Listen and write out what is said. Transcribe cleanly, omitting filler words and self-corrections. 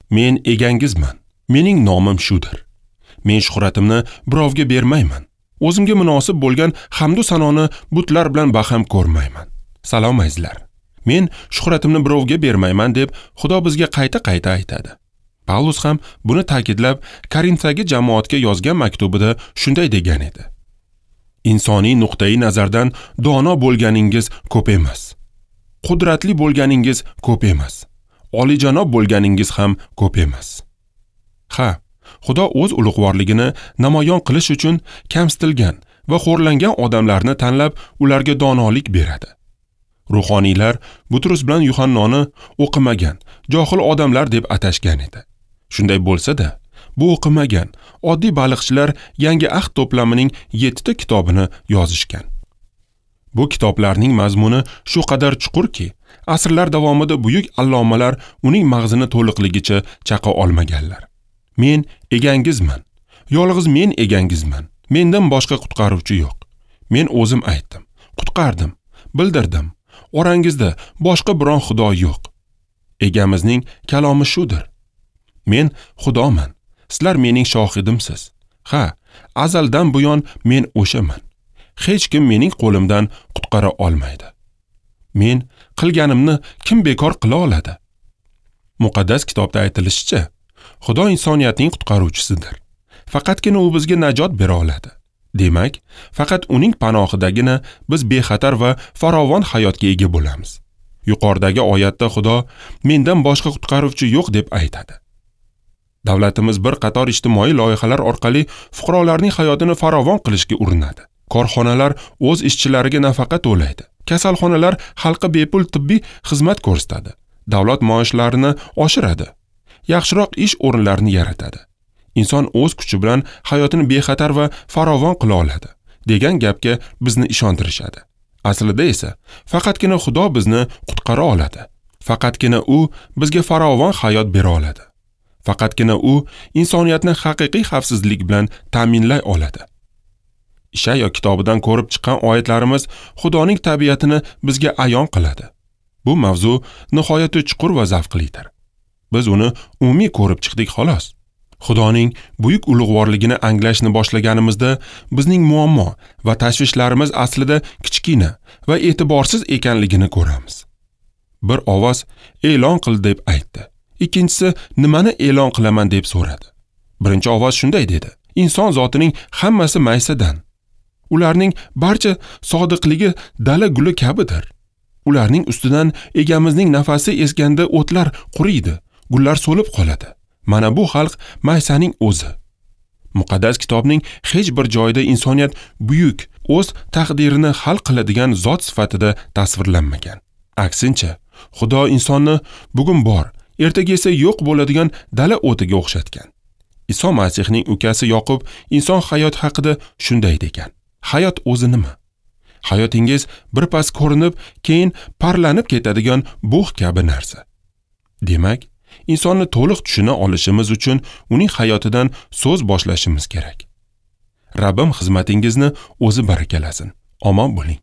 Men egangizman. Mening nomim shudir. Men shuhratimni birovga bermayman. O'zimga munosib bo'lgan hamdu sanoni butlar bilan baham ko'rmayman. Salom azizlar. Men shuhratimni birovga bermayman deb Xudo bizga qayta-qayta aytadi. Pavlus ham buni ta'kidlab, Korintdagi jamoatga yozgan maktubida shunday degan edi. Insoniy nuqtai nazardan dono bo'lganingiz ko'p emas. Qudratli bo'lganingiz ko'p emas. Olijanob bo'lganingiz ham ko'p emas. Ha, Xudo o'z ulug'vorligini namoyon qilish uchun kamsitilgan va xo'rlangan odamlarni tanlab, ularga donolik beradi. Ruhoniylar Butrus bilan Yuhannoni o'qimagan, johil odamlar deb atashgan edi. Shunday bo'lsa-da, bu o'qimagan oddiy baliqchilar Yangi Ahd to'plamining 7 ta kitobini yozishgan. Bu kitoblarning mazmuni shu qadar chuqurki, asrlar davomida buyuk allomalar uning mag'zini to'liqligicha chaqa olmaganlar. Men egangizman. Yolg'iz men egangizman. Mendan boshqa qutqaruvchi yo'q. Men o'zim aytdim, qutqardim, bildirdim. Orangizda boshqa biron xudo yo'q. Egamizning kalomi shudir. Men Xudoman. Sizlar mening shohidimsiz. Ha, azaldan buyon men o'shaman. Hech kim mening qo'limdan qutqara olmaydi. Men qilganimni kim bekor qila oladi? Muqaddas kitobda aytilishicha, Xudo insoniyatning qutqaruvchisidir. Faqatgina u bizga najot bera oladi. Demak, faqat uning panohidagina biz bexatar va farovon hayotga ega bo'lamiz. Yuqoridagi oyatda Xudo mendan boshqa qutqaruvchi yo'q deb aytadi. Davlatimiz bir qator ijtimoiy loyihalar orqali fuqarolarning hayotini farovon qilishga urinadi. Korxonalar o'z ishchilariga nafaqa to'laydi. Kasalxonalar xalqqa bepul tibbiy xizmat ko'rsatadi. Davlat maoshlarini oshiradi. Yaxshiroq ish o'rinlarini yaratadi. Inson o'z kuchi bilan hayotini bexatar va farovon qila oladi degan gapga bizni ishontirishadi. Aslida esa faqatgina Xudo bizni qutqara oladi. Faqatgina u bizga farovon hayot bera oladi. Faqatgina u insoniyatni haqiqiy xavfsizlik bilan ta'minlay oladi. Ishayo kitobidan ko'rib chiqqan oyatlarimiz Xudoning tabiatini bizga ayon qiladi. Bu mavzu nihoyatda chuqur va zavqlidir. Biz uni umumiy ko'rib chiqdik xolos. Xudoning buyuk ulug'vorligini anglashni boshlaganimizda bizning muammo va tashvishlarimiz aslida kichkina va e'tiborsiz ekanligini ko'ramiz. Bir ovoz e'lon qil deb aytdi. Ikkinchisi nimani e'lon qilaman deb so'radi. Birinchi ovoz shunday dedi: inson zotining hammasi maysadan. Ularning barcha sodiqligi dala guli kabidir. Ularning ustidan egamizning nafasi esganda o'tlar quriydi, gullar so'lib qoladi. Mana bu xalq maysaning o'zi. Muqaddas kitobning hech bir joyida insoniyat buyuk, o'z taqdirini hal qiladigan zot sifatida tasvirlanmagan. Aksincha, Xudo insonni bugun bor, ertaga esa yo'q bo'ladigan dala o'tiga o'xshatgan. Iso Masihning ukasi Yoqub inson hayoti haqida shunday degan: hayot o'zi nima? Hayotingiz birpas ko'rinib, keyin parlanib ketadigan bug' kabi narsa. Demak, insonni to'liq tushuna olishimiz uchun uning hayotidan so'z boshlashimiz kerak. Rabbim xizmatingizni o'zi barakalasin. Omon bo'ling.